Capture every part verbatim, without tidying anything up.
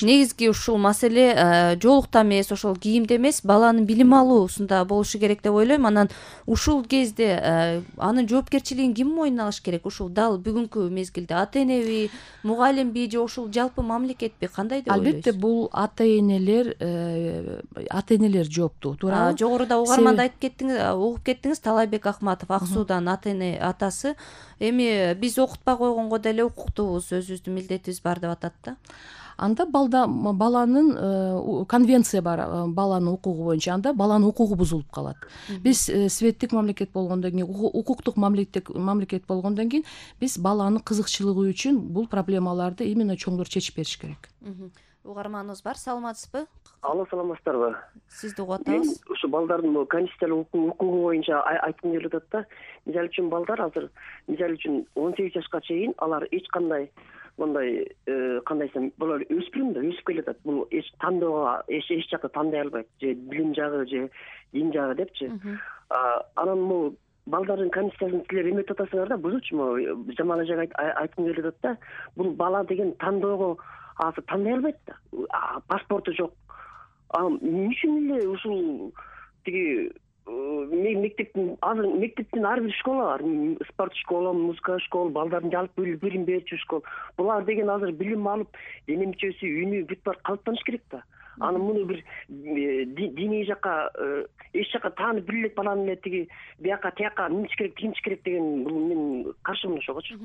негизги ушул маселе жоолукта эмес, ошол кийимде эмес, баланын билим алуусунда болушу керек деп ойлойм. Анан ушул кезде анын жоопкерчилигин ким мойнуна алыш керек? Ушул дал бүгүнкү мезгилде ата-энеби, мугалимби же ушул жалпы мамлекетпи? Кандай деп ойлойсуз? Албетте бул ата-энелер ата-энелер жооптуу, туурабы? Жогоруда угарманда айтып кеттиңиз, угуп кеттиңиз, Талайбек Акматов, Ак Суудан ата-эне атасы. Эми биз окутпай койгонго деле укуктуубуз, өзүбүздүн милдетибиз бар деп атат да. Анда балда баланын конвенция бар, баланын укугу боюнча, анда баланын укугу бузулуп калат. Биз светтик мамлекет болгондон кийин, укуктук мамлекет болгондон кийин биз баланын кызыкчылыгы үчүн бул проблемаларды именно чоңдор чечип бериш керек. Угарманыбыз бар, саламатсызбы? Алло, саламатсыздарбы? Сизди угуп атабыз. Мен ушу балдардын конституциялык укугу боюнча айткым келип атат да. Мисалы үчүн балдар азыр, мисалы үчүн он сегиз жашка чейин алар эч кандай мындай кандай десем, булар өспүрүм да, өсүп келатат. Бул эч тандоого эч эч жакта тандай албайт, же билим жагы, же дин жагы депчи. Анан бул балдардын конституциясын силер эметип атасыңар да, бузуучуму? Жамал эжеге айткым келип атат да. Бул бала деген тандоого азыр тандай албайт да. Паспорту жок. Эмне үчүн эле ушул тиги мектептин азыр мектептин ар бир школа бар. Спорт школа, музыка школа, балдардын жалпы билим берчү школа. Булар деген азыр билим алып, дене мүчөсү, үнү бүт бар калыптаныш керек да. Аны муну бир диний жакка, эч жакка таанып бир элек баланы эле тиги бияка тияка минтиш керек, тигинтиш керек деген бул мен каршымын ошогочу.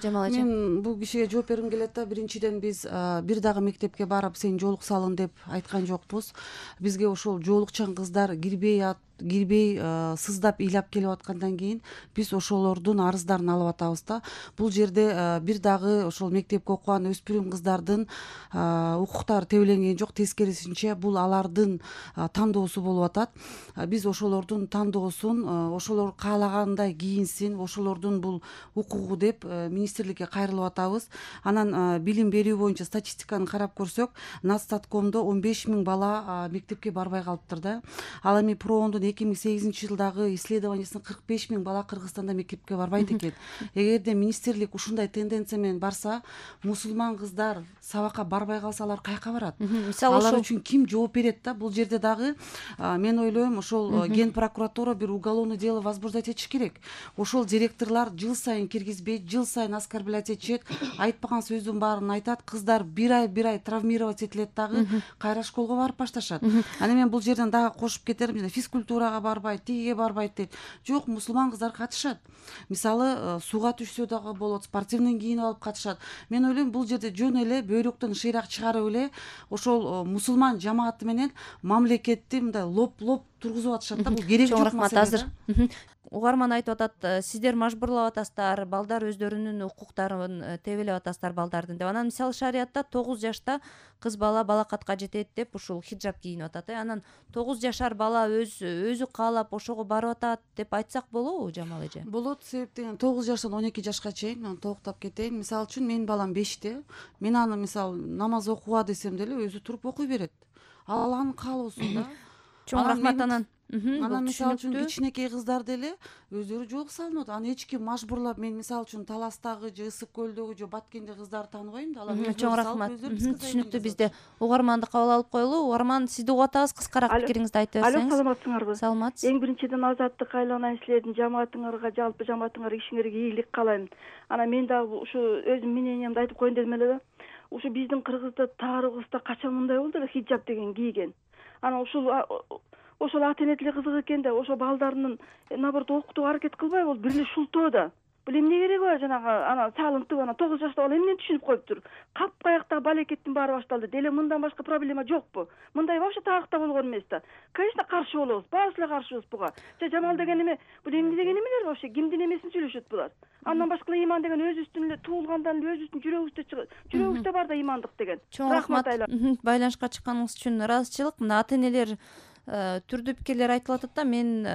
Жамал эже, мен бул кишиге жооп бергим келет да. Биринчиден, биз бир дагы мектепке барып сен жоолук салын деп айткан жокпуз. Бизге ошол жоолукчан кыздар кирбей кирбей сыздап ыйлап келип аткандан кийин биз ошолордун арыздарын алып атабыз да. Бул жерде бир дагы ошол мектепке окуган өспүрүм кыздардын укуктары тебеленген жок, тескерисинче бул алардын тандоосу болуп атат. Биз ошолордун тандоосун, ошолор каалагандай кийинсин, ошолордун бул укугу деп министрликке кайрылып атабыз. Анан билим берүү боюнча статистиканы карап көрсөк, Нацстаткомдо он беш миң бала мектепке барбай калыптыр да. Ал эми Проондун эки миң сегизинчи жылдагы исследованиясында кырк беш миң бала Кыргызстанда мектепке барбайт экен. Эгерде министрлик ушундай тенденция менен барса, мусулман кыздар сабакка барбай калса, алар каяка барат? Алар үчүн ким жооп берет да? Бул жерде дагы мен ойлойм, ошол Ген прокуратура бир уголовное дело возбуждать этиш керек. Ошол директорлор жыл сайын киргизбейт, жыл сайын оскорблять этишет, айтпаган сөздүн баарын айтат. Кыздар бир ай бир ай травмировать этилет дагы, кайра школго барып башташат. Аны мен бул жерден дагы кошуп кетерим, физкультурага барбайт, тигиге барбайт дейт. Жок, мусулман кыздар катышат. Мисалы, сууга түшсө дагы болот, спортивный кийинип алып катышат. Мен ойлойм, бул жерде жөн эле бөйрөктөн шыйрак чыгарып эле ошол мусулман жамааты менен мамлекетти мындай лоп-лоп тургузуп атышат да. Бул керек жок маселе. Угарман айтып атат, сиздер мажбурлап атасыздар, балдар өздөрүнүн укуктарын тебелеп атасыздар балдардын деп. Анан мисалы шариятта тогуз жашта кыз бала балакатка жетет деп ушул хиджаб кийинип атат. Анан тогуз жашар бала өз өзү каалап ошого барып атат деп айтсак болобу, Жамал эже? Болот, себептен тогуз жаштан он эки жашка чейин. Мен толуктап кетейин. Мисалы үчүн менин балам беште. Мен аны мисалы намаз окуга десем деле өзү туруп окуй берет. Ал анын каалоосу да. Чоң рахмат. Анан Анан мисалы үчүн кичинекей кыздар деле өздөрү жоолук салынат. Аны эч ким мажбурлап, мен мисалы үчүн Таластагы же Ысык көлдөгү же Баткенде кыздарды тааныбайм да. Алар чоң рахмат. Түшүнүктүү. Бизде угарманды кабыл алып коелу. Угарман, сизди угуп атабыз, кыскараак пикириңизди айтып берсеңиз. Алло, саламатсыңарбы? Саламатсыз. Эң биринчиден Азаттык айланайын, силердин жамаатыңарга, жалпы жамаатыңарга, ишиңерге ийгилик каалайм. Анан мен дагы ушу өзүмдүн мнениямды айтып коеюн дедим эле да. Ушу биздин Кыргызда тарыхыбызда качан мындай болду эле хиджаб деген кийген. Анан ушул ошол ата-эне деле кызык экен да, ошо балдарынын наоборот окутууга аракет кылбай болду, бир эле шултоо да. Бул эмне кереги бар, жанагы ана салынтып, ана тогуз жашта бала эмнени түшүнүп коюптур? Капкаяктагы балекеттин баары башталды. Деле мындан башка проблема жокпу? Мындай вообще тарыхта болгон эмес да. Конечно, каршы болобуз, баарыбыз эле каршыбыз буга. Же Жамал деген эме, бул эмне деген эмелер вообще? Кимдин эмесин сүйлөшөт булар? Андан башка иман деген өзүбүздүн эле туулгандан эле өзүбүздүн жүрөгүбүздө чыгат. Жүрөгүбүздө бар да имандык деген. Чоң рахмат. Байланышка чыкканыңыз үчүн ыраазычылык. Мына ата-энелер түрдүү пикирлер айтылып атат да. Мен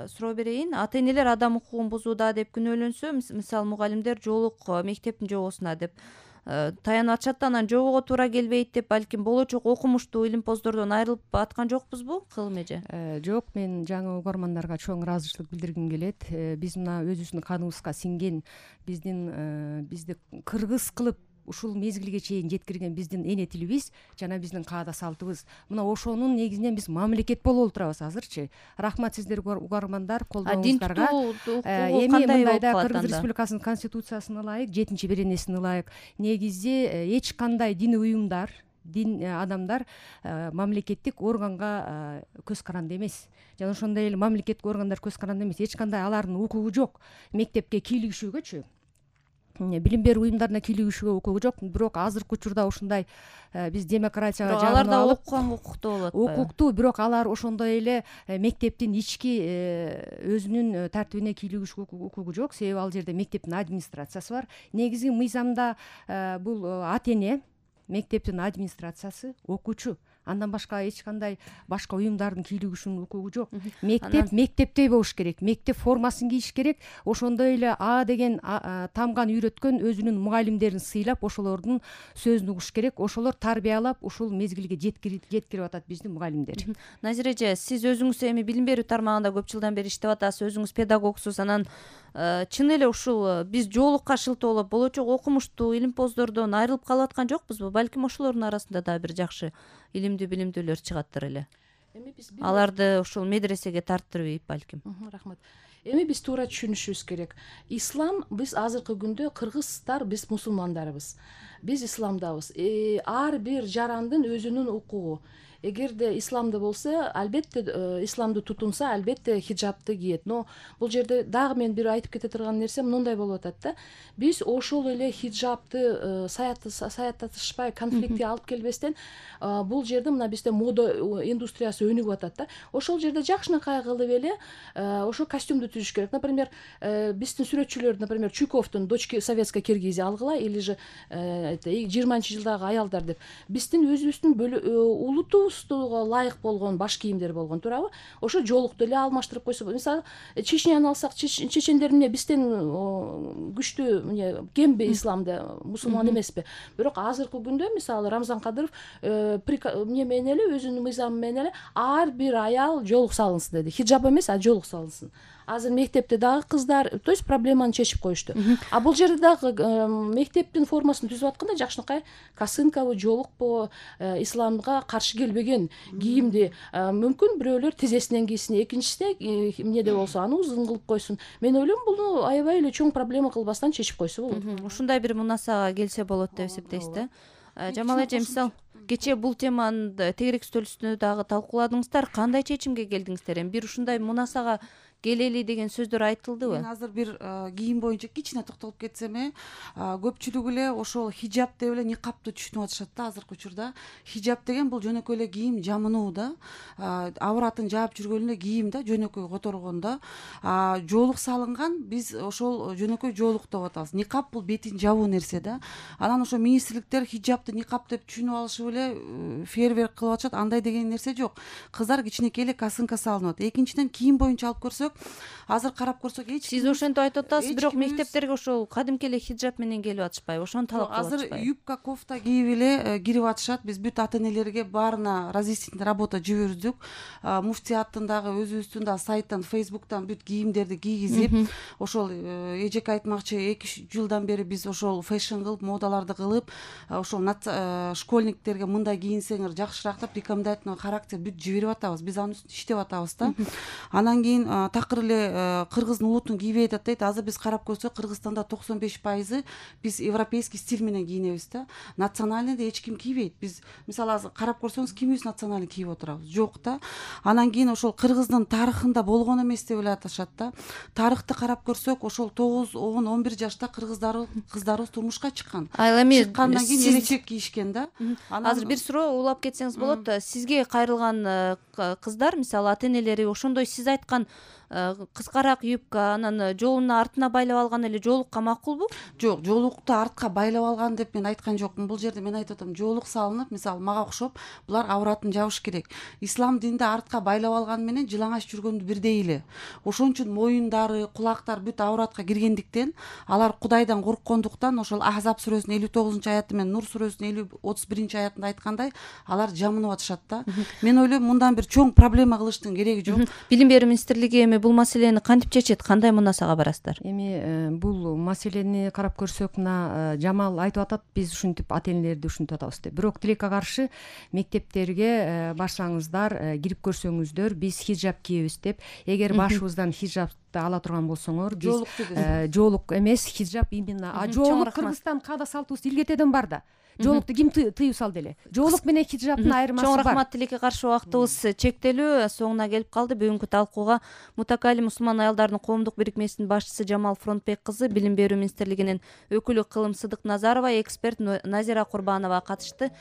суроо берейин. Ата-энелер адам укугун бузууда деп күнөөлөнсө, мисалы мугалимдер жоолук мектептин жобосуна деп таянып атышат да, анан жобого туура келбейт деп, балким болочок окумуштуу илимпоздордон айрылып аткан жокпузбу, Кылым эже? Жок, мен жаңы угармандарга чоң ыраазычылык билдиргим келет. Биз мына өзүбүздүн каныбызга сиңген, биздин бизди кыргыз кылып ушул мезгилге чейин жеткирген биздин эне тилибиз жана биздин каада салтыбыз. Мына ошонун негизинен биз мамлекет болуп отурабыз азырчы. Рахмат сиздерге угармандар, колдооңуздарга. Эми мындайда Кыргыз Республикасынын конституциясына ылайык, жетинчи беренесине ылайык негизи эч кандай дини уюмдар, дин адамдар мамлекеттик органга көз каранды эмес. Жана ошондой эле мамлекеттик органдар көз каранды эмес. Эч кандай алардын укугу жок мектепке кийлигишүүгөчү, билим берүү уюмдарына кийлигишүүгө укугу жок. Бирок азыркы учурда ушундай биз демократияга жабылып алар да окуганга укуктуу болот. Укуктуу, бирок алар ошондой эле мектептин ички өзүнүн тартибине кийлигишүүгө укугу жок. Себеби ал жерде мектептин администрациясы бар. Негизги мыйзамда бул ата эне, мектептин администрациясы, окуучу, андан башка эч кандай башка уюмдардын кийлигишүүнүн укугу жок. Мектеп мектептей болуш керек, мектеп формасын кийиш керек. Ошондой эле А деген тамган үйрөткөн өзүнүн мугалимдерин сыйлап, ошолордун сөзүн угуш керек. Ошолор тарбиялап ушул мезгилге жеткирип жеткирип атат биздин мугалимдер. Назира эже, сиз өзүңүз эми билим берүү тармагында көп жылдан бери иштеп атасыз, өзүңүз педагогсуз. Анан чын эле ушул биз жоолукка шылтоо болуп, болочок окумуштуу илимпоздордон айрылып калып аткан жокпузбу? Балким ошолордун арасында да бир жакшы илимдүү билимдүүлөр чыгаттыр эле. Эми биз аларды ушул медресеге тарттырбайбы балким. Рахмат. Эми биз туура түшүнүшүбүз керек. Ислам, биз азыркы күндө кыргыздар, биз мусулмандарбыз. Биз исламдабыз. Ар бир жарандын өзүнүн укугу. Эгерде исламда болсо, албетте исламды тутунса, албетте хиджабты кийет. Но бул жерде дагы мен бир айтып кете турган нерсем мындай болуп атат да. Биз ошол эле хиджабты саяттатышпай, конфликтке алып келбестен, бул жерде мына бизде мода индустриясы өнүгүп атат да. Ошол жерде жакшынакай кылып эле ошо костюмду түзүш керек. Например, биздин сүрөтчүлөр, например, Чуйковдун дочки советской Киргизия алгыла, или же жыйырманчы жылдагы аялдар деп. Биздин өзүбүздүн улуту ылайык болгон баш кийимдер болгон, туурабы? Ошо жоолукту эле алмаштырып койсо, мисалы Чечняны алсак, чечендер эмне бизден күчтүү эмне кемби исламда, мусулман эмеспи? Бирок азыркы күндө мисалы Рамзан Кадыров эмне менен эле өзүнүн мыйзамы менен эле ар бир аял жоолук салынсын деди. Хиджаб эмес, а жоолук салынсын. Азыр мектепте дагы кыздар, то есть проблеманы чечип коюшту. А бул жерде дагы мектептин формасын түзүп атканда жакшынакай косынкабы, жоолукпу, исламга каршы келбеген кийимди мүмкүн бирөөлөр тизесинен кийсин, экинчисине эмнеде болсо аны узун кылып койсун. Мен ойлойм, буну аябай эле чоң проблема кылбастан чечип койсо болот. Ушундай бир мунасага келсе болот деп эсептейсиз да? Жамал эже, мисалы кечээ бул теманы тегерек стөл үстүндө дагы талкууладыңыздар. Кандай чечимге келдиңиздер? Эми бир ушундай мунасага келели деген сөздөр айтылдыбы? Мен азыр бир кийим боюнча кичине токтолуп кетсем, көпчүлүк эле ошол хиджаб деп эле никапты түшүнүп атышат да азыркы учурда. Хиджаб деген бул жөнөкөй эле кийим, жамынуу да. Авратын жаап жүргөн эле кийим да, жөнөкөй которгон да. Жоолук салынган, биз ошол жөнөкөй жоолук деп атабыз. Никап бул бетин жабуу нерсе да. Анан ошо министрликтер хиджабты никап деп түшүнүп алышып эле фейерверк кылып атышат. Андай деген нерсе жок. Кыздар кичинекей эле косынка салынып атат. Экинчиден, кийим боюнча алып көрсөк, азыр карап көрсөк, эч сиз ошентип айтып атасыз, бирок мектептерге ошол кадимки эле хиджаб менен келип атышпайбы? Ошону талап кылып атышпайбы? Азыр юбка, кофта кийип эле кирип атышат. Биз бүт ата энелерге баарына разъяснительный работа жибердик. Муфтияттын дагы өзүбүздүн да сайттан, фейсбуктан бүт кийимдерди кийгизип, ошол эжеке айтмакчы эки үч жылдан бери биз ошол фэшн кылып, модаларды кылып, ошол школьниктерге мындай кийинсеңер жакшыраак деп рекомендательный характер бүт жиберип атабыз. Биз анын үстүндө иштеп атабыз да. Анан кийин такыр эле кыргыздын улутун кийбей атат дейт. Азыр биз карап көрсөк, Кыргызстанда токсон беш пайызы биз европейский стиль менен кийинебиз да. Национальныйды эч ким кийбейт. Биз мисалы азыр карап көрсөңүз, кимибиз национальный кийип отурабыз? Жок да. Анан кийин ошол Кыргыздын тарыхында болгон эмес деп эле аташат да. Тарыхты карап көрсөк, ошол тогуз, он, он бир жашта кыргыздар кыздарыбыз турмушка чыккан. Чыккандан кийин элечек кийишкен да. Азыр бир суроо улап кетсеңиз болот. Сизге кайрылган кыздар, мисалы ата энелери ошондой сиз айткан кыскараак юбка, анан жолуна артына байлап алган эле жоолукка макулбу? Жок, жоолукту артка байлап алган деп мен айткан жокмун. Бул жерде мен айтып атам, жоолук салынып, мисалы мага окшоп, булар авратын жабыш керек. Ислам динде артка байлап алган менен жылаңач жүргөндү бирдей эле. Ошон үчүн моюндары, кулактар бүт авратка киргендиктен, алар Кудайдан корккондуктан ошол Ахзаб сүрөсүнүн элүү тогузунчу аяты менен Нур сүрөсүнүн элүү отуз биринчи аятында айткандай, алар жамынып атышат да. Мен ойлойм, мындан бир чоң проблема кылыштын кереги жок. Билим берүү министрлиги эми бул маселени кантип чечет, кандай мунасага барасыздар? Эми бул маселени карап көрсөк, мына Жамал айтып атат, биз ушинтип ата энелерди ушинтип атабыз деп. Бирок тилекке каршы мектептерге барсаңыздар, кирип көрсөңүздөр, биз хиджаб кийебиз деп. Эгер башыбыздан хиджабты ала турган болсоңор, биз жоолук эмес, хиджаб именно. А жоолук Кыргызстан каада салтыбыз илгертеден бар да. Жоолукту ким тыюу салды эле? Жоолук менен хиджабтын айырмасы бар. Чоң рахмат. Тилекке каршы убактыбыз чектелүү, соңуна келип калды. Бүгүнкү талкууга Мутакали мусулман аялдардын коомдук бирикмесинин башчысы Жамал Фронтбек кызы, Билим берүү министрлигинин өкүлү Кылым Сыдыкназарова, эксперт Назира Курбанова катышты.